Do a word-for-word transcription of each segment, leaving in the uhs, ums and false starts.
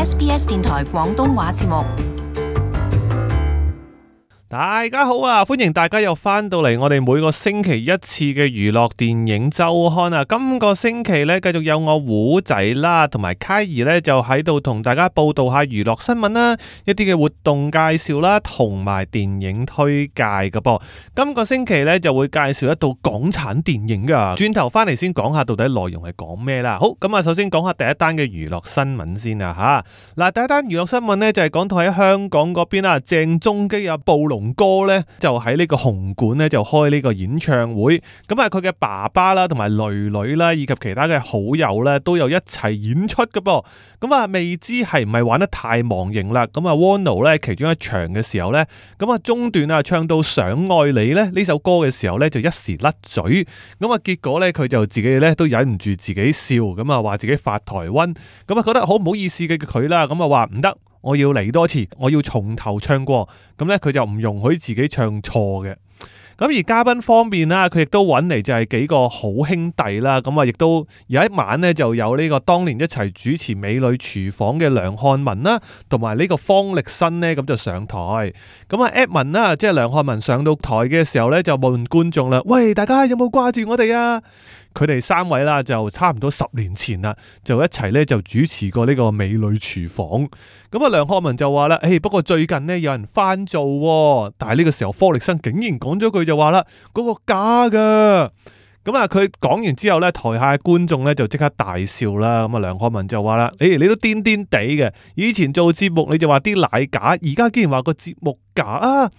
S B S 電台廣東話節目。大家好啊，歡迎大家又翻到嚟我哋每個星期一次嘅娛樂電影周刊啊。今個星期咧，繼續有我胡仔啦，同埋凱兒咧就喺度同大家報道下娛樂新聞啦，一啲嘅活動介紹啦，同埋電影推介㗎噃。今個星期咧就會介紹一套港產電影噶。轉頭翻嚟先講下到底內容係講咩啦。好，咁啊，首先講下第一單嘅娛樂新聞先啊吓。嗱，第一單娛樂新聞咧就係講到喺香港嗰邊啊，鄭中基啊，暴龍哥咧就喺呢個紅館咧就開呢個演唱會，咁啊佢嘅爸爸啦同埋女女啦以及其他嘅好友咧都有一齊演出嘅噃，咁啊未知係唔係玩得太忘形啦，咁啊 Wano 咧其中一場嘅時候咧，咁啊中段啊唱到想愛你咧呢首歌嘅時候咧就一時甩嘴，咁啊結果咧佢就自己咧都忍唔住自己笑，咁啊話自己發台瘟，咁啊覺得好唔好意思嘅佢啦，咁啊話唔得。我要嚟多次，我要從頭唱過，咁咧佢就唔容許自己唱錯嘅。咁而嘉賓方面啦，佢亦都揾嚟就係幾個好兄弟啦，咁啊亦都有一晚咧就有呢個當年一齊主持《美女廚房》嘅梁漢文啦，同埋呢個方力申咧咁就上台。咁啊 Edmond 啦，即係梁漢文上到台嘅時候咧就問觀眾啦：喂，大家有冇掛住我哋啊？佢哋三位啦，就差唔多十年前啦，就一齊咧就主持過呢個美女廚房。咁啊，梁漢文就話啦：，誒，不過最近呢，有人翻做，但係呢個時候方力申竟然講咗句就話啦：，嗰個假噶。咁啊，佢講完之後咧，台下嘅觀眾咧就即刻大笑啦。咁啊，梁漢文就話啦：，誒，你都癲癲地嘅，以前做節目你就話啲奶假，而家竟然話個節目假啊！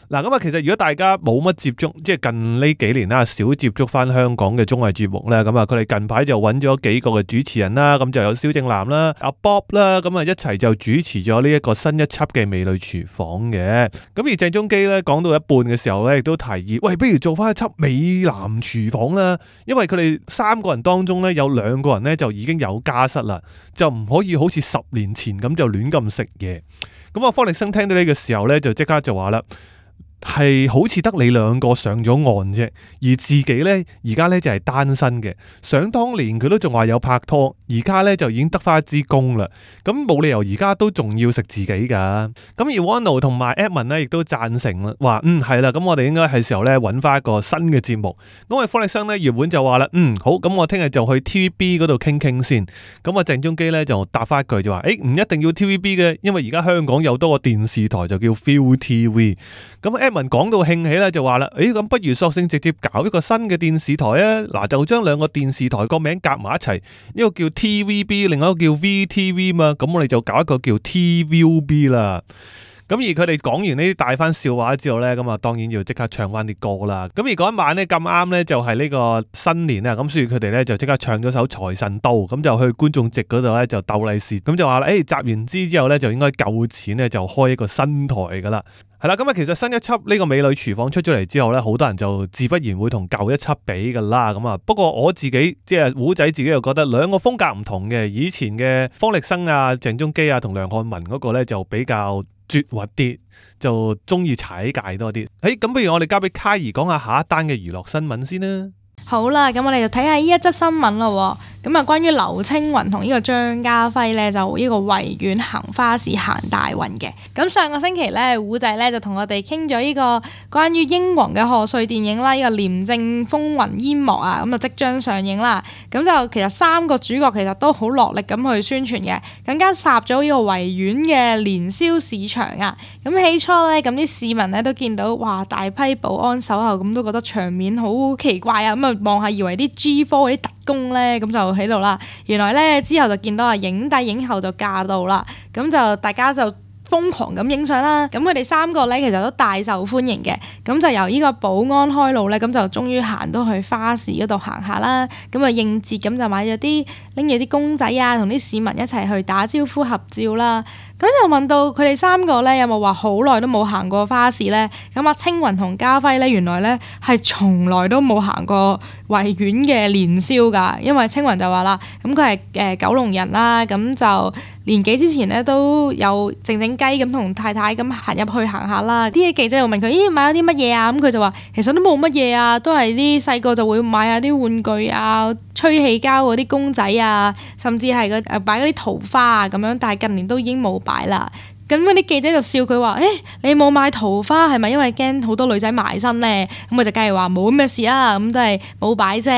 嗱，咁啊，其實如果大家冇乜接觸，即係近呢幾年啦，少接觸翻香港嘅綜藝節目咧，咁啊，佢哋近排就揾咗幾個嘅主持人啦，咁就有蕭正楠啦、阿 Bob 啦，咁啊一齊就主持咗呢一個新一輯嘅《美女廚房》嘅。咁而鄭中基咧講到一半嘅時候咧，亦都提議，喂，不如做翻一輯《美男廚房》啦，因為佢哋三個人當中咧有兩個人咧就已經有家室啦，就唔可以好似十年前咁就亂咁食嘢。咁啊，方力申聽到呢個時候咧，就即刻就話啦。係好似得你兩個上咗岸啫，而自己呢，而家呢就係單身嘅。想當年佢都仲話有拍拖，而家呢就已經得翻一支公啦。咁冇理由而家都仲要食自己噶。咁而 Wano 同埋 Edmond 呢亦都贊成啦，話嗯係啦，咁我哋應該係時候呢揾翻一個新嘅節目。咁啊方力申呢原本就話啦，嗯好，咁我聽日就去 T V B 嗰度傾傾先。咁啊鄭中基呢就答翻一句就話，誒唔一定要 T V B 嘅，因為而家香港有多個電視台就叫 Viu T V。咁 Edmond 講到興起咧，就話啦，誒咁不如索性直接搞一個新嘅電視台啊！嗱，就將兩個電視台個名夾埋一齊，一個叫 T V B， 另一個叫 V T V 嘛，咁我哋就搞一個叫 T V B 啦。咁而佢哋講完呢啲大番笑話之後呢，咁啊當然要即刻唱翻啲歌啦。咁而嗰一晚呢，咁啱呢就係呢個新年啊，咁所以佢哋呢就即刻唱咗首財神到，咁就去觀眾席嗰度呢就鬥利是，咁就話啦，誒集完資之後呢，就應該夠錢呢，就開一個新台噶啦。係啦，咁啊其實新一輯呢個美女廚房出咗嚟之後呢，好多人就自不然會同舊一輯比噶啦。咁啊，不過我自己即係胡仔自己又覺得兩個風格唔同嘅，以前嘅方力申啊、鄭中基啊同梁漢文嗰個呢，就比較絕核啲，就中意踩界多啲。誒，咁不如我哋交俾凱兒講下下一單嘅娛樂新聞先啦。好啦，咁我哋就睇下呢一則新聞咯。咁啊，關於劉青雲同呢個張家輝咧，就呢個維園行花市行大運嘅。咁上個星期咧，胡仔咧就同我哋傾咗呢個關於英皇嘅賀歲電影啦，呢、這個廉政風雲煙幕啊，咁就即將上映啦。咁就其實三個主角其實都好落力咁去宣傳嘅，更加殺咗呢個維園嘅年宵市場啊。咁起初咧，咁啲市民咧都見到哇大批保安守候，咁都覺得場面好奇怪啊。咁啊望下以為啲 G 科嗰啲特工咧，咁就喺度啦。原來咧之後就見到啊影帝影后就駕到啦，咁就大家就瘋狂咁影相啦。咁佢哋三個咧其實都大受歡迎嘅，咁就由呢個保安開路咧，咁就終於行到去花市嗰度行下啦。咁啊應節咁就買咗啲拎住啲公仔啊，同啲市民一齊去打招呼合照啦。咁就問到佢哋三個咧有冇話好耐都冇行過花市咧？咁啊青雲同家輝咧原來咧係從來都冇行過維園嘅年宵㗎，因為青雲就話啦，咁佢係誒九龍人啦，咁就年幾之前咧都有靜靜雞雞咁同太太咁行入去行下啦。啲記者又問佢：咦，買咗啲乜嘢啊？咁佢就話：其實都冇乜嘢啊，都係啲細個就會買下啲玩具啊、吹氣膠嗰啲公仔啊，甚至係個誒擺嗰啲桃花啊咁樣。但係近年都已經冇擺啦。咁嗰啲記者就笑佢話：誒、欸，你冇買桃花係咪因為驚好多女仔埋身咧？咁佢就梗係話冇咩事啦，咁都係冇擺啫。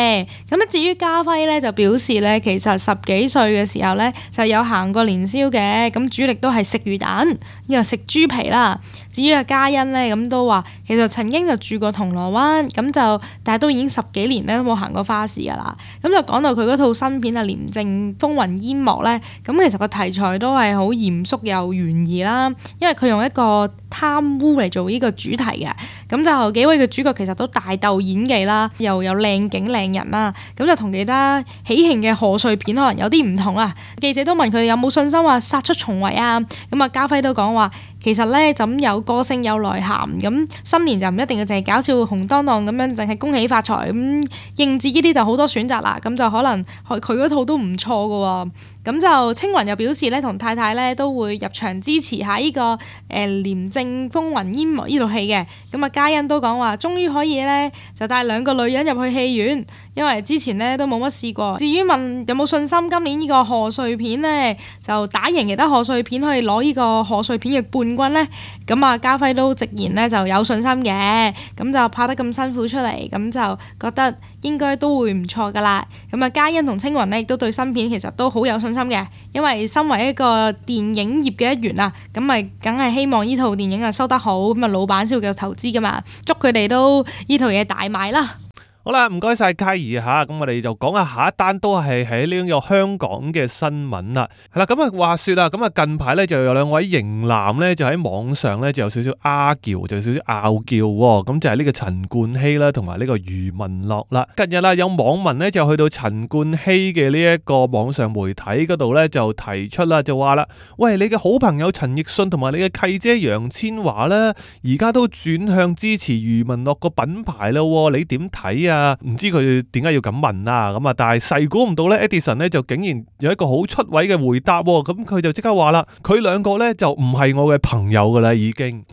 咁咧至於家輝咧就表示咧，其實十幾歲嘅時候咧就有行過年宵嘅，咁主力都係食魚蛋，又食豬皮啦。至於阿嘉欣咧，咁都話其實曾經就住過銅鑼灣，咁就但係都已經十幾年咧都冇行過花市噶啦。咁就講到佢嗰套新片啊《廉政風雲煙幕》咧，咁其實個題材都係好嚴肅又懸疑啦，因為佢用一個貪污嚟做呢個主題嘅。咁就幾位嘅主角其實都大鬥演技啦，又有靚景靚人啦，咁就同其他喜慶嘅賀歲片可能有啲唔同啦。記者都問佢哋有冇信心話殺出重圍啊？咁啊家輝都講話其實咧咁有個性有內涵，咁新年就唔一定要淨係搞笑紅當當咁樣，淨係恭喜發財咁。應節呢啲就好多選擇啦，咁就可能佢佢嗰套都唔錯㗎喎。咁就青雲又表示咧，同太太咧都會入場支持下呢、這個誒、呃《廉政風雲煙幕》呢套戲嘅。咁啊嘉欣都講話，終於可以咧就帶兩個女人入去戲院，因為之前咧都冇乜試過。至於問有冇信心今年呢個賀歲片咧就打贏其他賀歲片可以攞呢個賀歲片嘅冠軍咧，咁啊家輝都直言咧就有信心嘅。咁就拍得咁辛苦出嚟，咁就覺得應該都會唔錯噶啦。咁啊嘉欣同青雲咧亦都對新片其實都好有信心嘅，因為身為一個電影業嘅一員啊，咁咪梗係希望呢套電影啊收得好，咁啊老闆先會繼續投資噶嘛，祝佢哋都呢套嘢大賣啦。好啦，唔該晒嘉怡吓，咁我哋就講下下一單都係喺呢個香港嘅新聞啦。係啦，咁啊話說啦，咁啊近排咧就有兩位型男咧就喺網上咧就有少少拗撬，就有少少拗撬，咁就係呢個陳冠希啦，同埋呢個余文樂啦。近日啦，有網民咧就去到陳冠希嘅呢一個網上媒體嗰度咧就提出啦，就話啦，喂，你嘅好朋友陳奕迅同埋你嘅契姐楊千嬅咧，而家都轉向支持余文樂個品牌啦，你點睇啊？唔知佢點解要咁問啊？咁啊，但係細估唔到咧 ，Edison 咧就竟然有一個好出位嘅回答，咁佢就即刻話啦，佢兩個咧就唔係我嘅朋友噶啦，已經。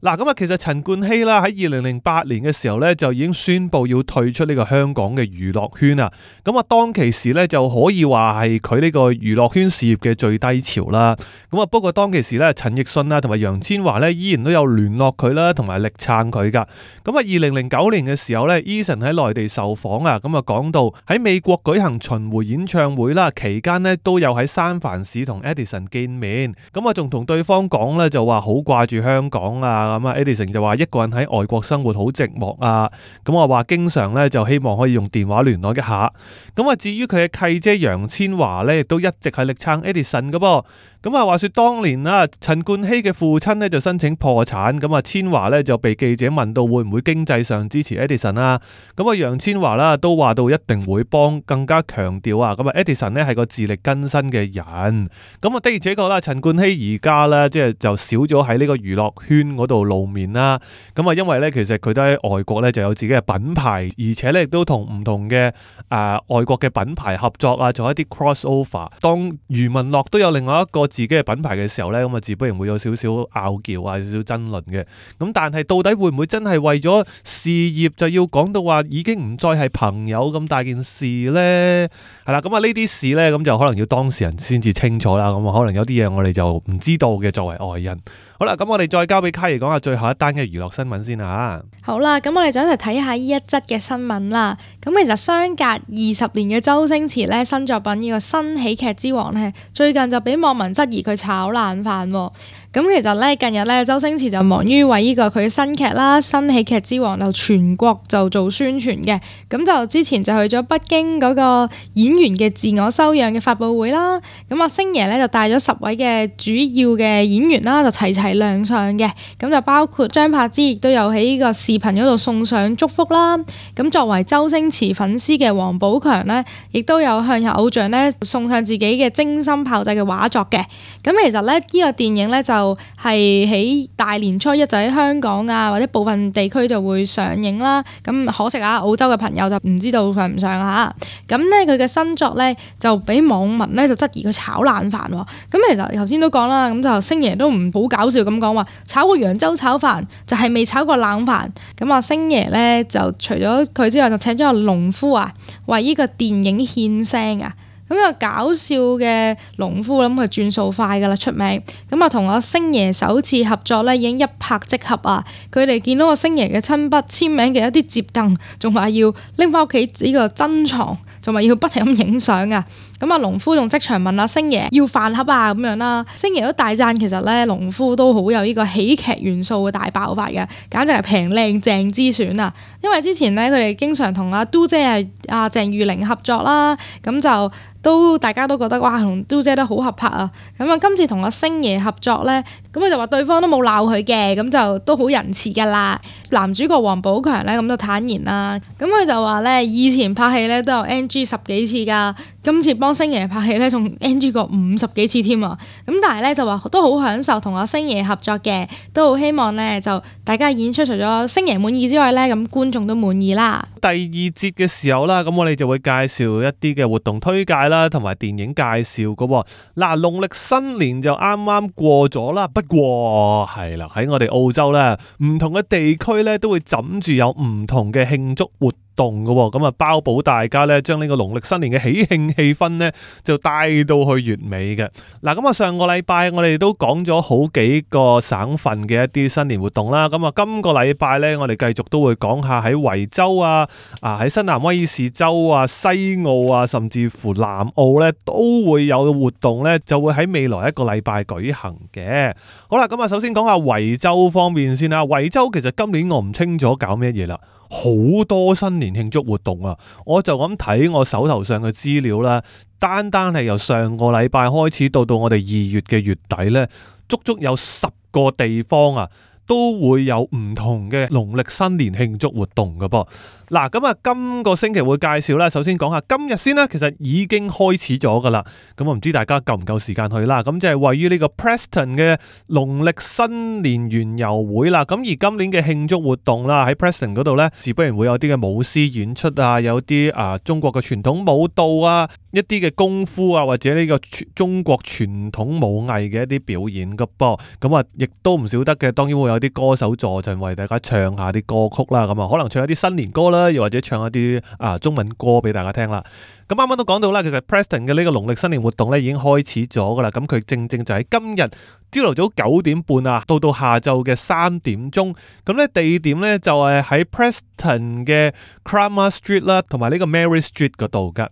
嗱，咁啊，其實陳冠希啦喺二零零八年嘅時候咧就已經宣布要退出呢個香港嘅娛樂圈啊。咁啊，當其時咧就可以話係佢呢個娛樂圈事業嘅最低潮啦。咁啊，不過當其時咧，陳奕迅啦同埋楊千嬅咧依然都有聯絡佢啦，同埋力撐佢噶。咁啊，二零零九年嘅時候咧 Eason 喺內地受訪啊，咁啊講到喺美國舉行巡迴演唱會啦，期間咧都有喺三藩市同 Edison 見面。咁啊，仲同對方講咧就話好掛住香港啊。咁啊 ，Edison 就話一個人喺外國生活好寂寞啊，咁我話經常咧就希望可以用電話聯絡一下。咁啊，至於佢嘅契姐楊千嬅咧，亦都一直係力撐 Edison 噶噃。咁啊，話說當年啊，陳冠希嘅父親咧就申請破產，咁啊，千嬅咧就被記者問到會唔會經濟上支持 Edison 啊？咁啊，楊千嬅啦都話到一定會幫，更加強調啊，咁啊 Edison 咧係個自力更生嘅人。咁啊，的而且確啦，陳冠希而家咧即係就少咗喺呢個娛樂圈嗰度露面啦。咁啊，因為咧其實佢都喺外國咧就有自己嘅品牌，而且咧亦都同唔同嘅誒、呃、外國嘅品牌合作啊，做一啲 crossover。當余文樂都有另外一個自己嘅品牌嘅時候咧，咁啊自不然會有少少拗撬啊，少少爭論嘅。咁但係到底會唔會真係為咗事業就要講到話已經唔再係朋友咁大件事呢？係啦，咁啊呢啲事呢，咁就可能要當事人先至清楚啦。咁啊可能有啲嘢我哋就唔知道嘅，作為外人。好啦，咁我哋再交俾卡兒講下最後一單嘅娛樂新聞先啊。好啦，咁我哋就一齊睇下呢一則嘅新聞啦。咁其實相隔二十年嘅周星馳咧新作品呢個新喜劇之王咧，最近就俾網民質疑佢炒冷飯喎。咁其實咧近日咧周星馳就忙於為呢個佢新劇啦《新喜劇之王》就全國就做宣傳嘅。咁就之前就去咗北京嗰個演員嘅自我修養嘅發佈會啦。咁啊星爺咧就帶咗十位嘅主要嘅演員啦，就齊齊亮相嘅。咁就包括張柏芝亦都有喺呢個視頻嗰度送上祝福啦。咁作為周星馳粉絲嘅王寶強咧，亦都有向偶像咧送上自己嘅精心炮製嘅畫作嘅。嘅。咁其實咧，呢、呢個電影咧就係、是、喺大年初一就喺香港啊或者部分地區就會上映啦。咁可惜啊，澳洲嘅朋友就唔知道上唔上嚇。咁咧佢嘅新作咧就俾網民咧就質疑佢炒冷飯喎。咁其實頭先都講啦，咁就星爺都唔好搞笑咁講話炒過揚州炒飯就係未炒過冷飯。咁啊星爺咧就除咗佢之外，就請咗個農夫啊為呢個電影獻聲啊。咁啊搞笑嘅農夫諗佢轉數快噶啦，出名。咁啊同阿星爺首次合作咧已經一拍即合啊！佢哋見到個星爺嘅親筆簽名嘅一啲摺凳，仲話要拎翻屋企呢個珍藏，仲話要不停咁影相啊！咁啊，農夫仲即場問阿星爺要飯盒啊咁樣啦。星爺都大讚其實咧，農夫都好有呢個喜劇元素嘅大爆發嘅，簡直係平靚正之選啊！因為之前咧佢哋經常同阿嘟姐係阿鄭裕玲合作啦，咁就都大家都覺得哇同嘟姐都好合拍啊！咁啊今次同阿星爺合作咧，咁佢就話對方都冇鬧佢嘅，咁就都好仁慈噶啦。男主角王寶強咧咁就坦言啦，咁佢就話咧以前拍戲咧都有 N G 十幾次噶，今次幫星爺拍戲咧仲 N G 過五十幾次添啊！咁但係咧就話都好享受同阿星爺合作嘅，都好希望咧就大家演出除咗星爺滿意之外咧，咁觀眾都滿意啦。第二節嘅時候啦，咁我哋就會介紹一啲嘅活動推介啦，同埋電影介紹噶。嗱，農曆新年就啱啱過咗啦，不過係啦喺我哋澳洲咧，唔同嘅地區咧都會枕住有唔同嘅慶祝活動嘅，咁啊包保大家咧將呢個農曆新年嘅喜慶氣氛咧就帶到去月尾嘅。嗱，咁啊上個禮拜我哋都講咗好幾個省份嘅一啲新年活動啦，咁啊今個禮拜咧我哋繼續都會講下喺維州啊、啊喺新南威爾士州啊、西澳啊，甚至乎南澳咧都會有活動咧，就會喺未來一個禮拜舉行嘅。好啦，咁啊首先講下維州方面先啦。維州其實今年我唔清楚搞咩嘢啦。好多新年慶祝活動啊！我就咁睇我手頭上嘅資料啦，單單係由上個禮拜開始到到我哋二月嘅月底呢，足足有十個地方啊，都會有唔同嘅農曆新年慶祝活動㗎噃。嗱，咁啊，今個星期會介紹啦。首先講下今日先啦，其實已經開始咗噶啦。咁我唔知大家夠唔夠時間去啦。咁就係位於呢個 Preston 嘅農曆新年園遊會啦。咁而今年嘅慶祝活動啦，喺 Preston 嗰度呢，自不然會有啲嘅舞獅演出啊，有啲啊中國嘅傳統舞蹈啊，一啲嘅功夫啊，或者呢個中國傳統武藝嘅一啲表演噶噃。咁啊，亦都唔少得嘅，當然會有啲歌手助陣為大家唱下啲歌曲啦。咁啊，可能唱一啲新年歌啦，又或者唱一啲啊中文歌俾大家聽啦。咁啱啱都講到啦，其實 Preston 嘅呢個農曆新年活動咧已經開始咗噶啦。咁佢正正就喺今日朝頭早九點半啊，到到下晝嘅三點鐘。咁咧地點咧就係喺 Preston 嘅 Kramer Street 啦，同埋呢個 Mary Street 嗰度噶。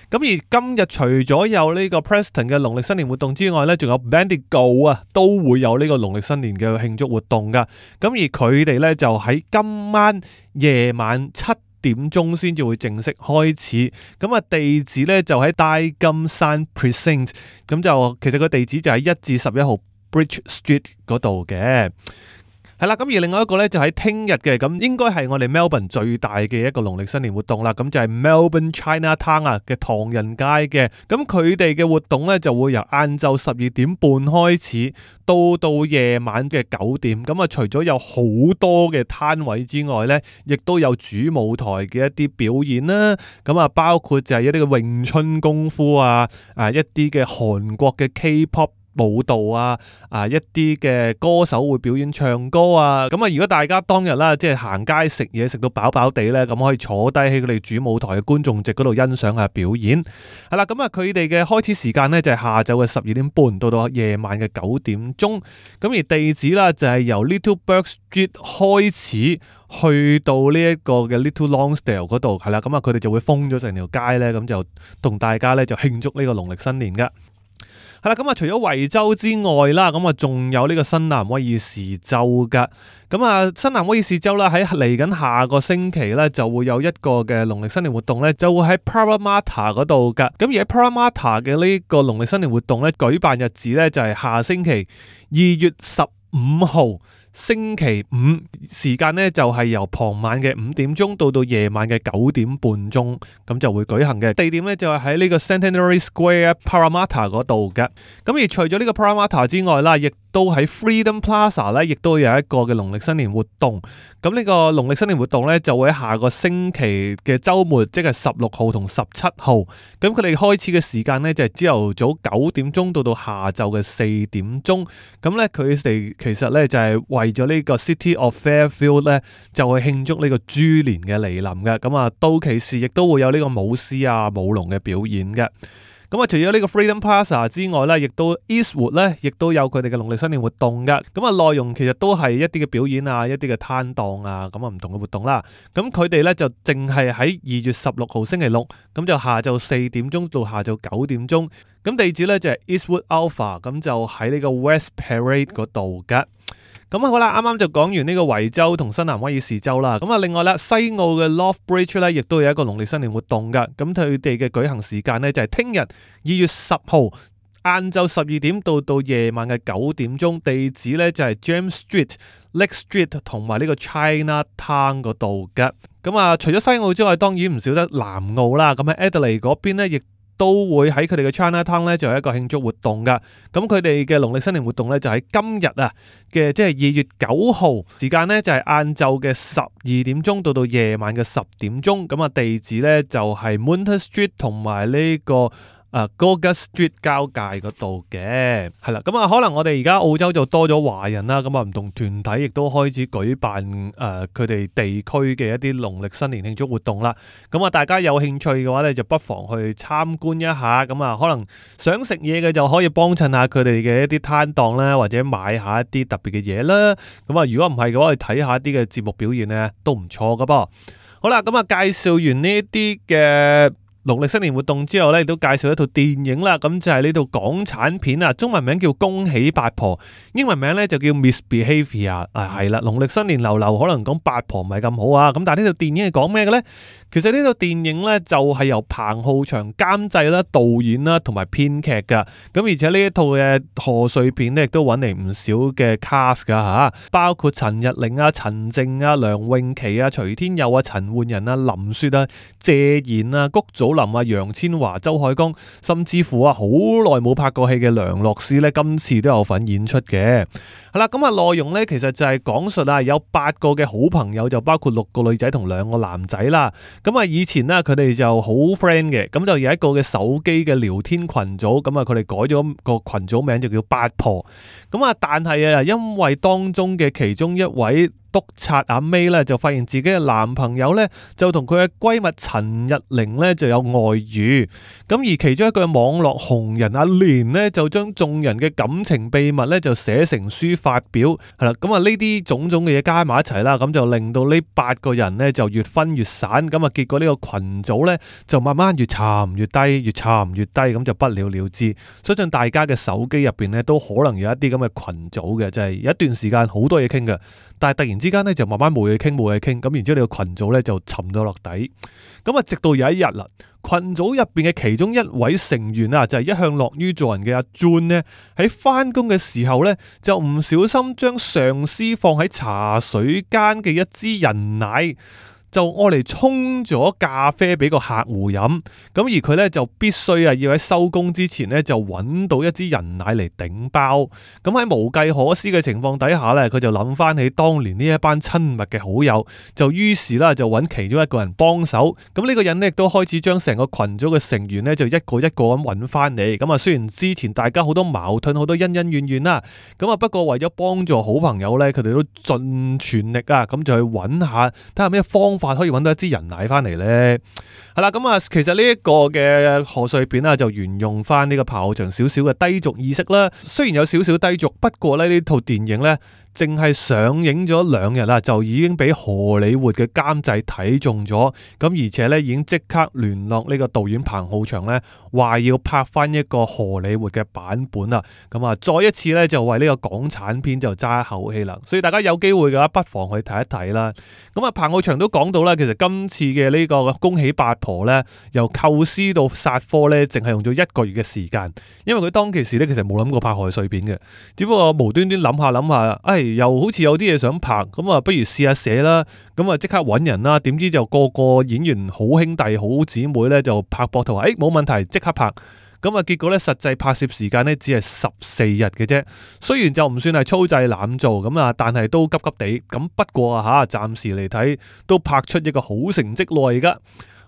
咁而今日除咗有呢個 Preston 嘅農曆新年活動之外咧，仲有 Bendigo 啊，都會有呢個農曆新年嘅慶祝活動噶。咁而佢哋咧就喺今晚夜晚七點鐘先至會正式開始。咁啊地址咧就喺大金山 Precinct。咁就其實個地址就喺一至十一號 Bridge Street 嗰度嘅。係啦，咁而另外一個咧就喺聽日嘅，咁應該係我哋 Melbourne 最大嘅一個農曆新年活動啦。咁就係 Melbourne Chinatown 啊嘅唐人街嘅，咁佢哋嘅活動咧就會由晏晝十二點半開始，到到夜晚嘅九點。咁啊，除咗有好多嘅攤位之外咧，亦都有主舞台嘅一啲表演啦。咁啊，包括就係一啲嘅詠春功夫啊，啊一啲嘅韓國嘅 K-pop舞蹈啊，啊一啲嘅歌手會表演唱歌啊，咁啊如果大家當日啦，即係行街食嘢食到飽飽地咧，咁可以坐低喺佢哋主舞台嘅觀眾席嗰度欣賞下表演。係啦，咁啊佢哋嘅開始時間咧就係下晝嘅十二點半到到夜晚嘅九點鐘，咁而地址啦就係由 Little Bourke Street 開始去到呢一個嘅 Little Lonsdale 嗰度，係啦，咁啊佢哋就會封咗成條街咧，咁就同大家咧就慶祝呢個農曆新年噶。係啦，咁啊，除咗維州之外啦，咁啊，仲有呢個新南威爾士州噶。咁啊，新南威爾士州啦，喺嚟緊下個星期咧，就會有一個嘅農曆新年活動咧，就會喺 Parramatta 嗰度噶。咁而喺 Parramatta 嘅呢個農曆新年活動咧，舉辦日子咧就係下星期二月十五號星期五時間呢，就係由傍晚嘅五點鐘到到夜晚嘅九點半鐘，咁就會舉行嘅。地點呢，就係喺呢個 Centenary Square Parramatta 嗰度嘅。咁而除咗呢個 Parramatta 之外啦，亦都喺 Freedom Plaza 咧，亦都有一個嘅農曆新年活動。咁呢個農曆新年活動咧，就會喺下個星期嘅週末，即係十六號同十七號。咁佢哋開始嘅時間咧，就係朝頭早九點鐘到到下晝嘅四點鐘。咁咧，佢哋其實咧就係為咗呢個 City of Fairfield 咧，就會慶祝呢個豬年嘅嚟臨嘅。咁啊，到期時亦都會有呢個舞獅啊、舞龍嘅表演嘅。咁啊，除咗呢個 Freedom Plaza 之外咧，亦都 Eastwood 咧，亦都有佢哋嘅農曆新年活動噶。咁啊，內容其實都係一啲嘅表演啊，一啲嘅攤檔啊，咁啊唔同嘅活動啦。咁佢哋咧就淨係喺二月十六號星期六，咁就下晝四點鐘到下晝九點鐘。咁地址咧就係 Eastwood Alpha，咁就喺呢個 West Parade 嗰度噶。咁好啦，啱啱就講完呢個維州同新南威爾士州啦。咁啊，另外啦，西澳嘅 Loft Bridge 咧，亦都有一個農曆新年活動噶。咁佢哋嘅舉行時間呢，就係聽日二月十號晏晝十二點到到夜晚嘅九點鐘。地址呢，就係 James Street、Lake Street 同埋呢個 Chinatown 嗰度噶。咁啊，除咗西澳之外，當然唔少得南澳啦。咁喺 Adelaide 嗰邊呢，亦都會喺佢哋嘅 Chinatown 咧，就有一個慶祝活動噶。咁佢哋嘅農曆新年活動咧，就喺今日啊嘅，即係二月九號時間咧，就係晏晝嘅十二點鐘到到夜晚嘅十點鐘。咁啊，地址咧就係 Moonta Street 同埋呢個啊 Goga Street 交界嗰度嘅，係啦。咁啊，可能我哋而家澳洲就多咗華人啦，咁啊唔同團體亦都開始舉辦誒佢哋地區嘅一啲農曆新年慶祝活動啦。咁啊，大家有興趣嘅話咧，就不妨去參觀一下。咁啊，可能想食嘢嘅就可以幫襯下佢哋嘅一啲攤檔啦，或者買下一啲特別嘅嘢啦。咁啊，如果唔係嘅話，去睇下一啲嘅節目表現咧，都唔錯噶噃。好啦，咁啊，介紹完呢一啲嘅農曆新年活動之後咧，亦都介紹一套電影啦。咁就係呢套港產片啊，中文名叫《恭喜八婆》，英文名咧就叫 Misbehaviour 啊。係啦，農曆新年流流可能講八婆唔係咁好啊。咁但係呢套電影係講咩嘅咧？其實呢套電影咧就係由彭浩翔監製啦、導演啦同埋編劇噶。咁而且呢一套嘅賀歲片咧，亦都揾嚟唔少嘅 cast 噶吓，包括陳日玲啊、陳靜啊、梁詠琪啊、徐天佑啊、陳奐仁啊、林雪啊、謝賢啊、谷祖林啊、楊千嬅、周海光，甚至乎啊好耐冇拍過戲嘅梁洛施咧，今次都有份演出嘅。係啦，咁啊內容咧其實就係講述啊有八個嘅好朋友，就包括六個女仔同兩個男仔啦。咁啊以前咧佢哋就好 friend 嘅，咁就有一個嘅手機嘅聊天群組，咁啊佢哋改咗個群組名就叫八婆。咁啊但係啊因為當中嘅其中一位督察阿 May 咧就發現自己嘅男朋友咧就同佢嘅閨蜜陳日玲咧就有外遇，咁而其中一個網絡紅人阿蓮咧就將眾人嘅感情秘密咧就寫成書發表，係啦，咁啊呢啲種種嘅嘢加埋一齊啦，咁就令到呢八個人咧就越分越散，咁啊結果呢個群組咧就慢慢越沉越低，越沉越低，咁就不了了之。相信大家嘅手機入邊咧都可能有一啲咁嘅群組嘅，就係有一段時間好多嘢傾嘅，但係突然之間咧就慢慢冇嘢傾冇嘢傾，咁然之後呢個群組咧就沉咗落底，咁啊直到有一日啦，群組入邊嘅其中一位成員啊，就係一向樂於助人嘅阿 June 咧，喺翻工嘅時候咧就唔小心將上司放喺茶水間嘅一支人奶，就愛嚟沖咗咖啡俾個客戶飲，咁而佢咧就必須啊要喺收工之前咧就揾到一支人奶嚟頂包。咁喺無計可施嘅情況底下咧，佢就諗翻起當年呢一班親密嘅好友，就於是啦就揾其中一個人幫手。咁呢個人咧亦都開始將成個群組嘅成員咧就一個一個咁揾翻嚟。咁啊雖然之前大家好多矛盾好多恩恩怨怨啦，咁啊不過為咗幫助好朋友咧，佢哋都盡全力啊咁就去揾下睇下咩方法可以揾到一支人奶翻嚟呢？係啦，咁啊，其實呢一個嘅賀歲片啊，就沿用翻呢個彭浩翔少少嘅低俗意識啦。雖然有少少低俗，不過咧呢套電影呢，淨係上映咗兩日啦，就已經俾荷里活嘅監製睇中咗，咁而且咧已經即刻聯絡呢個導演彭浩翔咧，話要拍翻一個荷里活嘅版本啦。咁啊，再一次咧就為呢個港產片就揸一口氣啦。所以大家有機會嘅話，不妨去睇一睇啦。咁啊，彭浩翔都講到啦，其實今次嘅呢個恭喜八婆咧，由構思到殺科咧，淨係用咗一個月嘅時間，因為佢當其時咧其實冇諗過拍賀歲片嘅，只不過無端端諗下諗下，哎唉，又好似有啲嘢想拍，咁啊，不如試下寫啦。咁啊，即刻揾人啦。點知就個個演員好兄弟、好姊妹呢，就拍膊頭話，誒，冇問題，即刻拍。咁啊，結果咧，實際拍攝時間咧只係十四日嘅啫。雖然就唔算係粗製濫造咁啊，但係都急急地。咁不過啊嚇，暫時嚟睇都拍出一個好成績來㗎。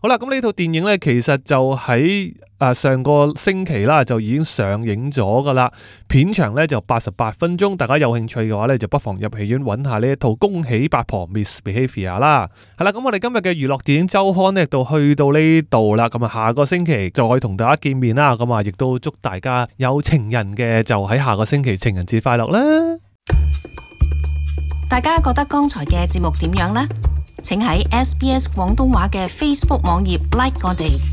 好啦，咁呢套電影咧，其實就喺啊上個星期啦，就已經上映咗噶啦。片長咧就八十八分鐘，大家有興趣嘅話咧，就不妨入戲院揾下呢一套《恭喜八婆 Misbehaviour》啦。係啦，咁我哋今日嘅娛樂電影週刊呢，就去到呢度啦。咁啊，下個星期就可以同大家見面啦。咁啊，亦都祝大家有情人嘅就喺下個星期情人節快樂啦。大家覺得剛才嘅節目點樣呢？請喺 S B S 廣東話嘅 Facebook 網頁 like 我哋。